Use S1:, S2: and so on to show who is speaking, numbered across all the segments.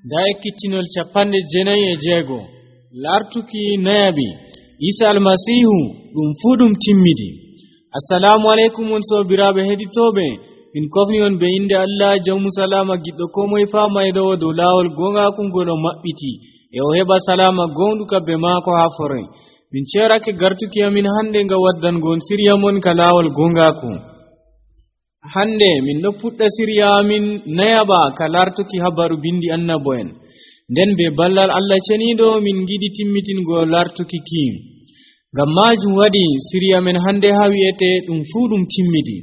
S1: da ekkittinol 96 lartuki nayabi Isa almasihu dum fudum timmidi. Assalamu alaikum on sobirabe heditobe min kofni on be inde Allah jawmu salama giddo ko moy famaydo do lawol gonga kun godo mabbiti e o heba salama gonduka be mako ha fore min cerake gartuki amin hande nga waddan gon siriya mon ka lawol gonga ku hande min do pudda siriya amin nayaba ka lartuki habaru bindi annaboen den be ballal Allah cenido min gidi timmitin go lartuki kim ngam majum wadi siriya men hande hawiyete dum fudum timmidi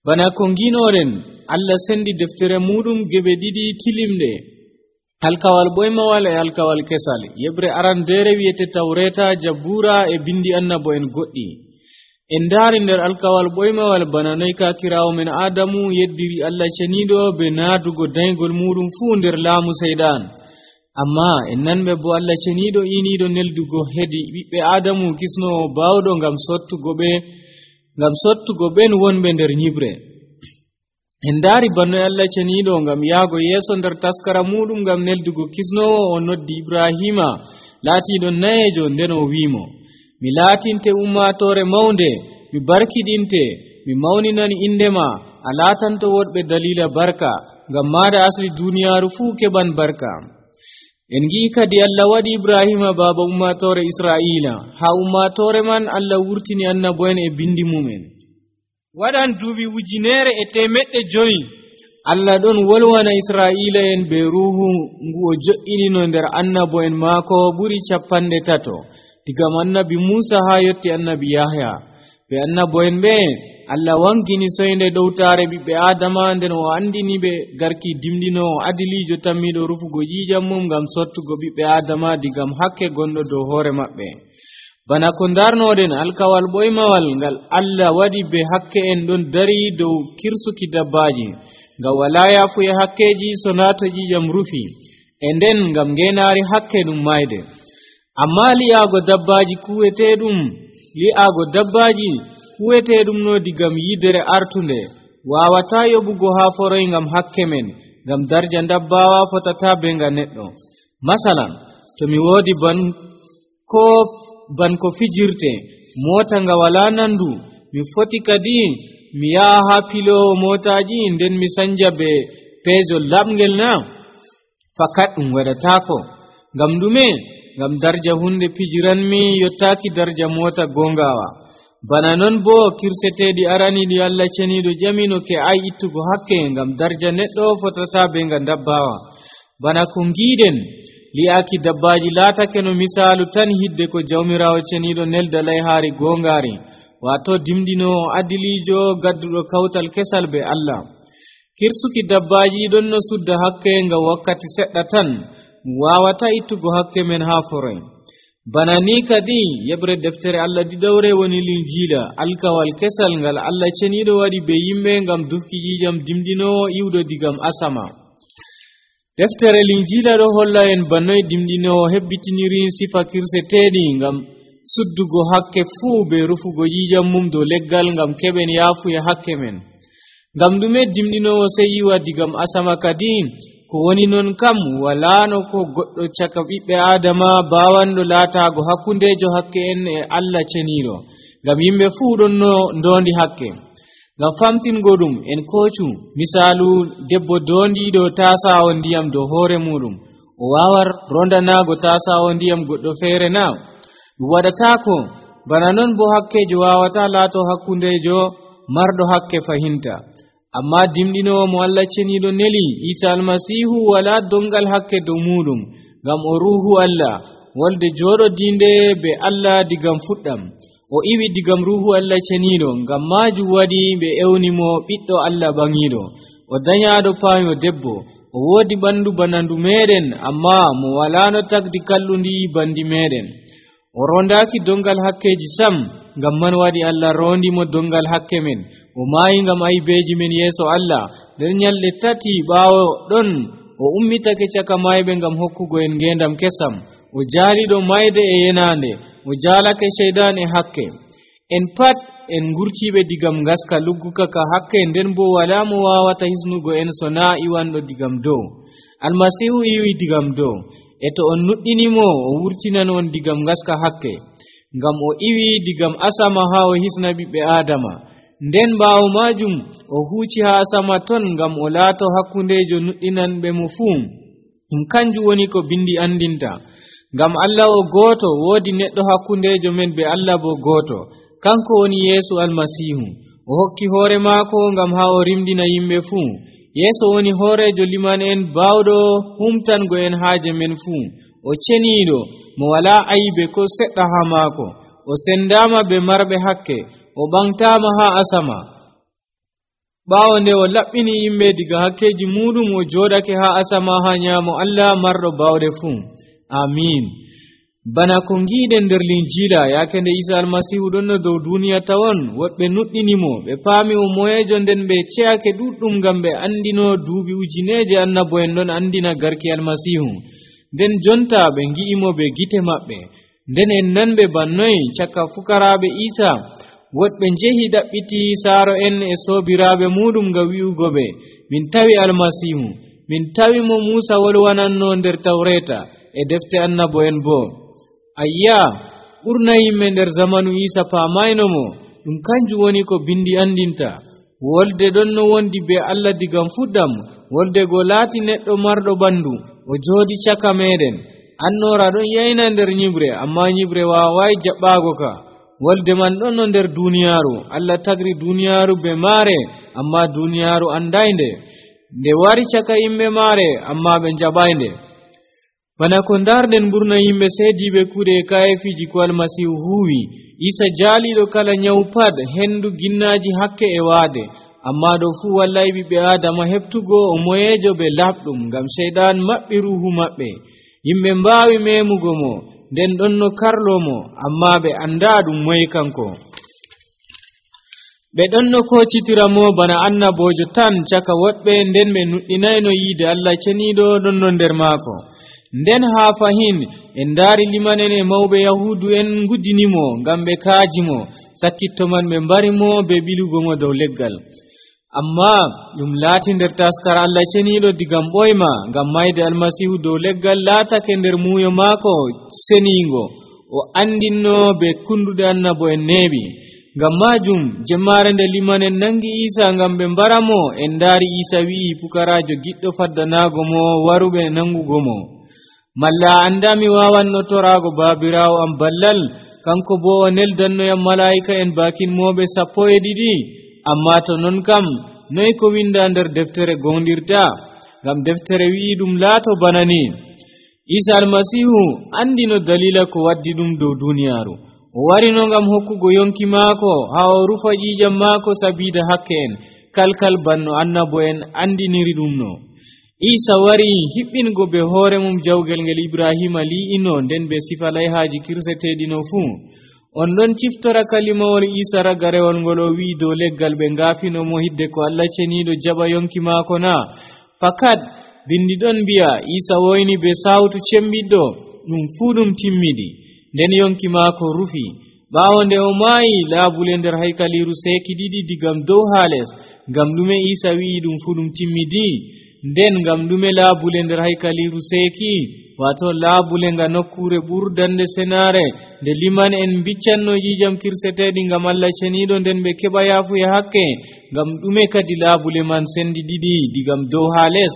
S1: bana ko nginoren Allah sendi deftere mudum gebe didi tilimde alkawal boymawal e alkawal kesal yebre aran dere wiyete tawreta jabura e bindi annaboen goddi en dari nder alkawal boymawal bana noy ka kirawo men adamu yeddiri Allah cenido be nadugo daygol mudum fu nder laamu seydan amma en nanbe bo Allah cenido inido neldugo hedi bibbe adamu kisno bawdo ngam sottugo ben wonbe nder nyibre en dari banno Allah cenido ngam yaago yeso nder taskara mudum ngam neldugo kisnowo o noddi Ibrahima laatido nayejo nden o wiimo mi laatinte ummatore mawnde mi barkidinte mi mawninani indema a laatanto wodbe dalila barka ngam maada asli duniyaaru fu keban barka en gi kadi Allah wadi Ibrahima baba ummatore Israila ha ummatore man Allah wurtini annaboen e bindi mumen wadan duubi wujinere e temedde joyi Allah don wolwana Israila en be ruhu ngu o jo'inino nder annaboen maako buri 300 diga annabi Musa ha yotti annabi Yahya be annaboen be Allah wangini soyde dowtare bibbe Adama nden o andini be garki dimdino adilijo tammido rufugo yijam mum ngam sottugo bibbe Adama digam hakke gondo do hore mabbe bana ko darnoden alkawal boymawal ngal Allah wadi be hakke en don dari dow kirsuki dabbaji ngam wala yafu e hakkeji sonata jijam rufi e nden ngam ngenari hakke dum mayde amma li'ago dabbaji kuwetedum no digam yidere artunde wawata yobugo ha foroy ngam hakke men ngam darja dabbawa fotata be nga neddo masalan to mi wodi ban ko fijirte mota nga wala nandu mi foti kadi mi yaha ha pilowo motaji nden mi sanja be pejo labngel na fakat dum wadatako ngam dume ngam darja hunde pijiranmi yottaki darja mota gongawa bana non bo kirsetedi arani di Allah cenido jamino ke ay ittugo hakke ngam darja neddo fotata be nga dabbawa bana ko ngiden li'aki dabbaji latake no misalu tan hidde ko jawmirawo cenido nelda layhaari gongari wato dimdino adilijo gaddudo kawtal kesal be Allah kirsuki dabbaji don no sudda hakke nga wakkati sedda tan wawata ittugo hakke men ha foroy bana ni kadi yebre deftere Allah didawre woni linjila alkawal kesal ngal Allah cenido wadi be yimbe ngam dufki jijam dimdino iwdo digam asama deftere linjila do holla en bannoy dimdino hebbitiniri sifa kirsetedi ngam suddugo hakke fu be rufugo jijam mum do leggal ngam keben yafu e hakke men ngam dume dimdino sey yiwa digam asama kadi ko woni non kam wala no ko goddo caka bibbe adama bawando latago hakkundejo hakke en e Allah cenido ngam yimbe fu don no ndondi hakke ngam famtingodum en kocu misalu debbo dondido tasawo ndiyam do hore mudum o wawar rondanago tasawo ndiyam goddo fere na wadatako bana non bo hakkejo wawata lato hakkundejo mardo hakke fahinta amma dimdino mo Allah cenido neli Isa almasihu wala dongal hakke do mudum ngam o ruhu Allah wolde jodo dinde be Allah digam fuddam o iwi digam ruhu Allah cenido ngam maju wadi be ewnimo biddo Allah bangido o danyado payo debbo o wodi bandu banandu meden amma mo wala no tagdi kallundi bandi meden o rondaki dongal hakkeji sam ngam man wadi Allah rondi mo dongal hakke men o maayi ngam aybeji men yeso Allah der nyalle tati bawo don o ummitake caka maybe ngam hokkugo en ngendam kesam o jaalido mayde e yenande o jaalake shaydan e hakke en pat en gurtibe digam gaska lugguka ka hakke nden bo wala mo wawata hisnugo en sona iwando digam do almasihu iwi digam dow e to on nuddinimo o wurtinan on digam gaska hakke ngam o iwi digam asama ha o hisna ɓiɓɓe adama nden ɓaawo majum o huuci ha asama ton ngam o laato hakkundejo nuɗɗinanɓe mo fuu kanjum woni ko bindi andinta ngam Allah o gooto woodi neɗɗo hakkundejo men be Allah bo gooto kanko woni Yesu almasihu o hokki hoore maako ngam ha o rimdina yimɓe fuu Yesu woni hoorejo liman en baawɗo humtango en haaje men fuu o ceniiɗo mo wala aybe ko seɗɗa ha maako o sendama be marɓe hakke o ɓangtama ha asama ɓaawo nde o laɓɓini yimɓe diga hakkeji muɗum o jooɗake ha asama ha nyaamo Allah marɗo bawɗe fuu amin bana ko ngiiden nder linjila yaake nde Isa almasihu ɗonno dow duniya tawon woɓɓe nuɗɗinimo ɓe paami o moyejo nden ɓe ce'ake ɗuɗɗum ngam ɓe andino duuɓi ujineje annabo en ɗon andina garki almasihu nden jonta ɓe ngi'imo be gite maɓɓe nden en nanɓe bannoy cakka fukaraaɓe Isa woɗɓe njehi ɗaɓɓiti saaro en e soobiraaɓe muɗum nga wi'ugo ɓe min tawi almasihu min tawi mo Muusa wolwananno nder tawreta e defte annabo en bo ayya ɓurna yimɓe nder zamanu Isa paamayno mo ɗum kanjum woni ko bindi andinta wolde ɗon no wondi be Allah digam fuɗɗam wolde go laati neɗɗo marɗo ɓandu o joodi caka meɗen annora ɗon yayna nder nyibre amma nyibre waawai jaɓɓaago ka wolde man ɗon no nder duniyaaru Allah tagri duniyaaru be maare amma duniyaaru andainde nde wari caka yimɓe maare amma ɓe jaɓainde bana ko darden ɓurna yimɓe seediɓe kuuɗe e kayefiji ko almasihu huwi Isa jaaliɗo kala nyawu pat hendu ginnaaji hakke e waade amma ɗo fuu wallahi ɓiɓɓe adama heɓtugo o moyejo ɓe laɓɗum ngam seyɗan maɓɓi ruhu maɓɓe yimɓe mbaawi memugo mo nden ɗon no karlomo amma ɓe anda ɗum moye kanko ɓe ɗon no kocitiramo bana annabojo tan caka woɗɓe nden ɓe nuɗɗinayno yiide Allah ceniiɗo ɗon no nder maako nden haa fahin en ndaari limanen e mawɓe yahudu en nguddinimo ngam ɓe kaajimo sakkitto man ɓe mbarimo be ɓilugo mo dow leggal amma ɗum laati nder taskara Allah ceniiɗo digam ɓoyma ngam mayde almasihu dow leggal laatake nder muuyo maako seniingo o andinno be kunduɗe annabo en neeɓi ngam majum jemmare nde limanen nangi Isa ngam ɓe mbaramo en ndaari Isa wi'i pukaraajo giɗɗo faddanaago mo waruɓe nangugo mo malla andami wawanno torago babirawo am ballal kanko bo o neldannoyam malaika en bakin moɓe 12 amma to non kam noy ko winda nder deftere gondirta ngam deftere wi'i ɗum laato banani Isa almasihu andino dalila ko waddi ɗum dow duniyaaru o warino ngam hokkugo yonki maako ha o rufa ƴiƴam maako sabida hakke en kalkal banno annabo en andiniri ɗum no Isa wari hiɓɓingo be hoore mum jawgel ngel Ibrahima li'ino nden be sifa layhaaji kirseteɗino fuu on ɗon ciftora kalimawol Isa ragarewol ngol o wi'i dow leggal ɓe ngaafinomo hidde ko Allah ceniiɗo jaɓa yonki maako na fakat bindi ɗon mbi'a Isa woyni be sawtu cembiɗɗo ɗum fuu ɗum timmidi nden yonki maako rufi ɓaawo nde o maayi laabule nder haykaliru seeki ɗiɗi digam dow haa les ngam ɗume Isa wi'i ɗum fuu ɗum timmidi nden ngam ɗume laabule nder haykaliru seeki wato laabule nga nokkure ɓurdande senare nde liman en biccanno ƴiƴam kirseteɗi ngam Allah ceniiɗo nden ɓe keɓa yaafuya hakke ngam ɗume kadi laabule man sendi ɗiɗi digam dow haa les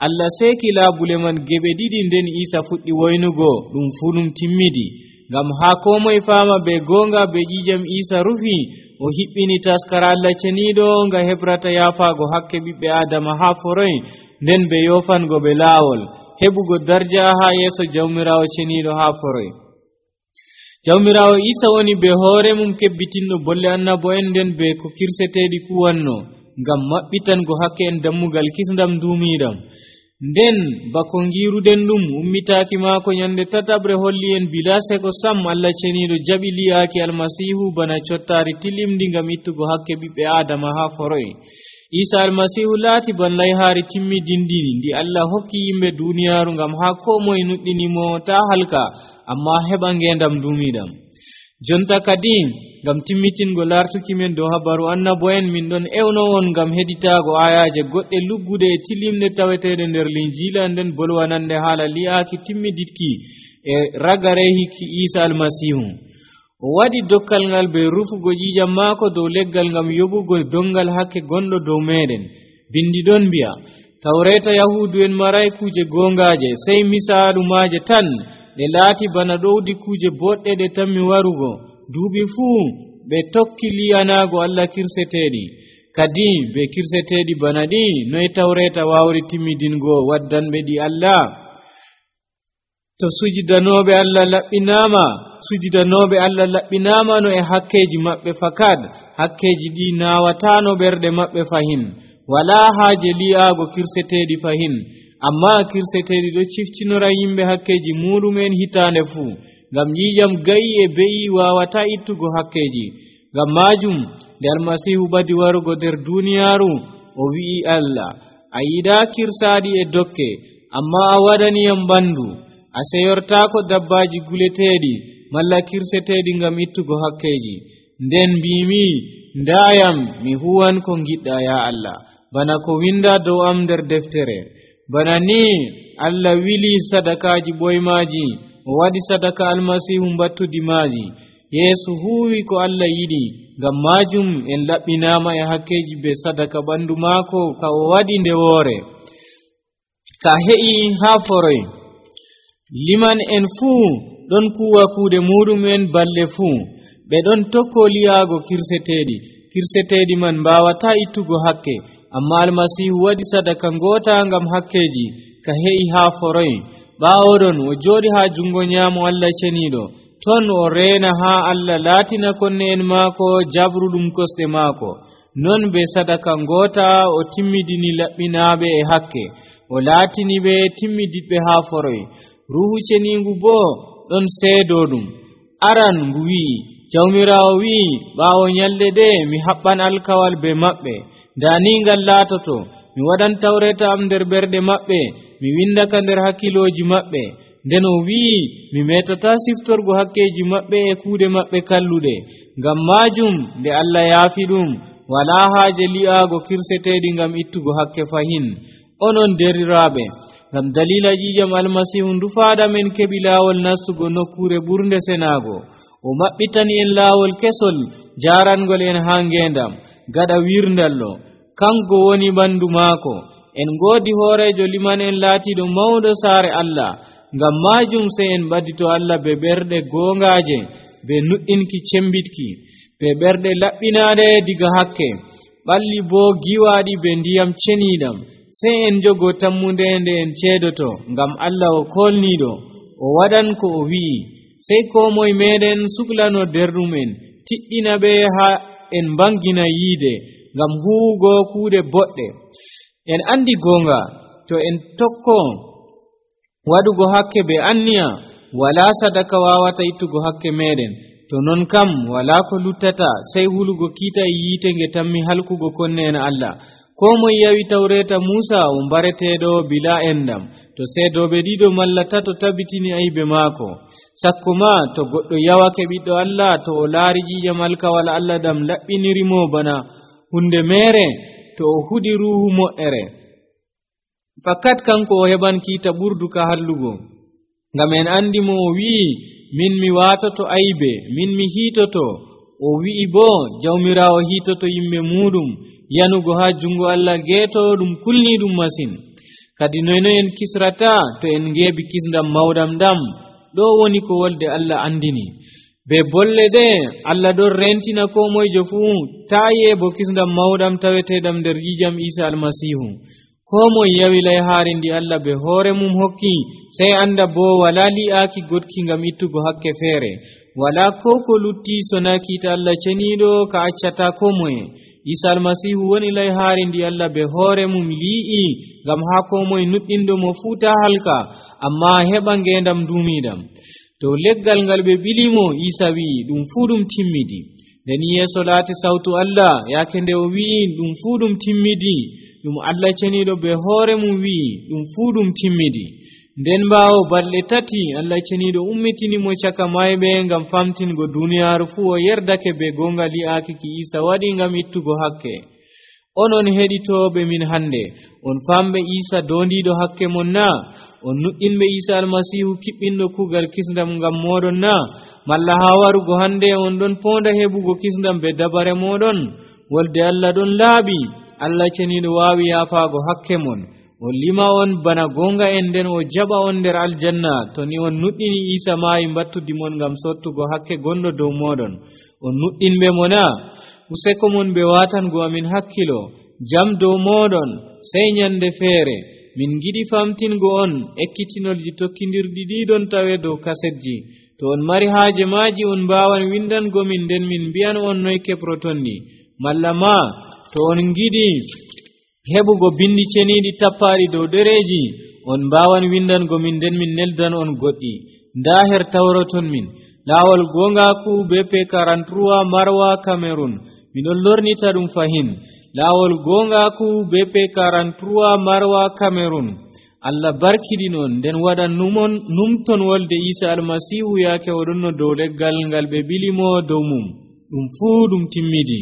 S1: Allah seeki laabule man geɓe ɗiɗi nden Isa fuɗɗi woynugo ɗum fuu ɗum timmidi ngam haa komoye faama be goonga be ƴiƴam Isa rufi o hiɓɓini taskara Allah ceniiɗo nga hebrata yaafaago hakke ɓiɓɓe adama haa foroy nden ɓe yofango ɓe laawol heɓugo darja haa yeeso jawmirawo ceniiɗo haa foroy jawmirawo Isa woni be hoore mum kebbitinɗo bolle annabo en nden be ko kirseteeɗi kuwanno ngam maɓɓitango hakke en dammugal kisndam duumiiɗam nden bako ngiiruden ɗum ummitaaki maako nyande tatabre holli en bila seko sam Allah ceniiɗo jaɓi li'aaki almasihu bana cottaari tilimdi ngam ittugo hakke ɓiɓɓe adama haa foroy Isa almasihu laati ban layhaari timmidindini ndi Allah hokki yimɓe duniyaaru ngam haa ko moye nuɗɗinimo taa halka amma heɓa ngeendam duumiiɗam jonta kadi ngam timmitingo lartuki men dow habaru annabo'en min ɗon ewno on ngam heditago ayaje goɗɗe luggude e tilimne tawetede nder linjila nden bolwanande haala li'aaki timmiditki e ragare hikki Isa almasihu. O waɗi dokkal ngal be rufugo ƴiƴam maako dow leggal ngam yoɓugo dongal hakke gonɗo dow meɗen. Bindi ɗon mbi'a tawreta yahudu en maray kuje gongaje sey misaalu maaje tan ɗe laati bana ɗowdi kuje boɗɗe ɗe tammi warugo duuɓi fuu ɓe tokki li'anago Allah kirseteɗi kadi be kirseteɗi bana ɗi noy tawreta wawri timmidingo waddanɓe ɗi Allah. To sujidanoɓe Allah laɓɓinama no e hakkeji maɓɓe fakat hakkeji ɗi nawatano ɓerɗe maɓɓe fahin wala haaje li'aago kirseteɗi fahin amma kirseteɗi ɗo ciftinora yimɓe hakkeji muɗumen hitande fuu ngam ƴiƴam gayi e be'i wawata ittugo hakkeji. Ngam majum nde almasihu ɓadi warugo nder duniyaaru o wi'i Allah a yiɗa kirsaɗi e dokke amma a waɗaniyam ɓandu a seyortako dabbaji guleteɗi malla kirseteɗi ngam ittugo hakkeji. Nden mbimi ndayam mi huwan ko giɗɗa ya Allah bana ko winda dow am nder deftere. Bana ni Allah wili sadakaji ɓoymaji o waɗi sadaka almasihu mbattudi maaji. Yesu huwi ko Allah yiɗi ngam majum en laɓɓinama e hakkeji be sadaka ɓandu maako ka o waɗi nde woore ka he'i haa foroy. Liman en fuu ɗon kuwa kuuɗe muɗumen balle fuu ɓe ɗon tokko li'aago kirseteɗi man mbawata ittugo hakke amma almasihu waɗi sadaka ngota ngam hakkeji ka he'i haa foroy. ɓawoɗon o jooɗi haa jungo nyaamo Allah ceniɗo ton o reena haa Allah laatina konne en maako jabruɗum kosɗe maako. Non be sadaka ngota o timmidini laɓɓinaaɓe e hakke o laatini ɓe timmidiɓɓe haa foroy. Ruhu ceniingu boo ɗon seedoɗum. Aran ngu wi'i jawmirawo wi'i ɓaawo nyalɗe ɗe mi haɓɓan alkawal be maɓɓe dani ngal laatoto mi waɗan tawreta am nder ɓerɗe maɓɓe mi windaka nder hakkiloji maɓɓe. Nden o wi'i mi metata siftorgo hakkeji maɓɓe e kuuɗe maɓɓe kalluɗe. Ngam majum nde Allah yaafi ɗum wala haaje li'aago kirseteɗi ngam ittugo hakke fahin. Onon deriraɓe ngam dalila ƴiƴam almasihu ndufaɗa men keɓi laawol nastugo nokkure ɓurnde senago. O maɓɓitani en laawol kesol jarangol en haa ngendam gaɗa wirndallo kanko woni ɓandu maako. En ngoodi hoorejo liman en laatiɗo mawɗo saare Allah. Ngam majum sey en ɓadito Allah be ɓerɗe gongaje be nuɗɗinki cembitki be ɓerɗe laɓɓinaɗe diga hakke ɓalli bo giwaɗi be ndiyam ceniɗam. Sey en jogo tammunde nde en ceedoto ngam Allah o kolniɗo o waɗan ko o wi'i. Sey ko moye meɗen suklano derɗum en tiɗɗina ɓe haa en bangina yiide ngam huwugo kuuɗe boɗɗe. En andi gonga to en tokko waɗugo hakke be anniya wala sadaka wawata ittugo hakke meɗen. To non kam wala ko luttata sey hulugo kiita e yiite nge tammi halkugo konne en Allah. Ko moye yawi tawreta Musa o mbareteɗo bila endam to seedoɓe ɗiɗo malla tato tabitini aybe maako. Sakko ma to goɗɗo yawake ɓiɗɗo Allah to o laari ƴiƴam alkawal Allah dam laɓɓinirimo bana hunde mere to o huɗi ruhu moƴƴere fakat kanko o heɓan kiita ɓurdu ka hallugo. Ngam en andi mo o wi'i min mi watoto aybe min mi hiitoto. O wi'i bo jawmirawo hiitoto yimɓe muɗum yanugo ha jungo Allah geeto ɗum kulni ɗum masin. Kadi noyno en kisrata to en ngeebi kisndam mawɗam dam. Ɗo woni ko wolde Allah andini be bolle ɗe Allah ɗon rentina ko moyjo fuu taye bo kisndam mawɗam taweteɗam nder ƴiƴam Isa almasihu. Ko moye yawi layhaari ndi Allah be hoore mum hokki sey anda bo wala li'aaki godki ngam ittugo hakke feere wala ko lutti sona kiita Allah ceniɗo ka accata ko moye. Isa almasihu woni layhaari ndi Allah be hoore mum li'i ngam ha ko moye nuɗɗinɗo mo fuuta halka amma heɓa ngendam duumiɗam. Dow leggal ngal ɓe bilimo Isa wi'i ɗum fuu ɗum timmidi. Nden yeeso laati sawtu Allah yaake nde o wi'i ɗum fuu ɗum timmidi ɗum Allah ceniɗo be hoore mum wi'i ɗum fuu ɗum timmidi. nden bawo balɗe tati Allah ceniiɗo ummitini mo caka mayɓe ngam famtingo duniyaaru fuu o yerdake be gonga li'aaki ki Isa waɗi ngam ittugo hakke. Onon heɗitooɓe min hande on famɓe Isa dondiiɗo hakke mon na? On nuɗɗinɓe Isa almasihu kiɓɓinɗo kugal kisndam ngam moɗon na? Malla haa warugo hande on ɗon ponda heɓugo kisndam be dabare moɗon? Wolde Allah ɗon laaɓi. Allah ceniiɗo waawi yaafaago hakke mon. O lima on bana gonga en nden o jaɓa on nder aljanna to ni on nuɗɗini Isa maayi mbattudimon ngam sottugo hakke gonɗo dow moɗon. On nuɗɗinɓe mo na? Useko mon ɓe watango amin hakkilo jam dow moɗon. Sey nyande feere min giɗi famtingo on ekkitinolji tokkidirɗi ɗiɗon tawe dow kasetji. To on mari haaje maaji on mbawan windango min nden min mbi'an on noy keɓroton ni. Malla ma to on giɗi heɓugo bindi ceniiɗi tappaɗi dow ɗereji on mbawan windango min nden min neldan on goɗɗi. Nda her tawroton min laawol gongaku BP 43 Marwa Cameroon. Miɗon lornita ɗum fahin. Laawol gongaku BP 43 Marwa Cameroon. Allah barkiɗinon nden waɗan numton wolde Isa almasihu yaake oɗon no dow leggal ngal ɓe bilimo dow mum. Ɗum fuu ɗum timmidi.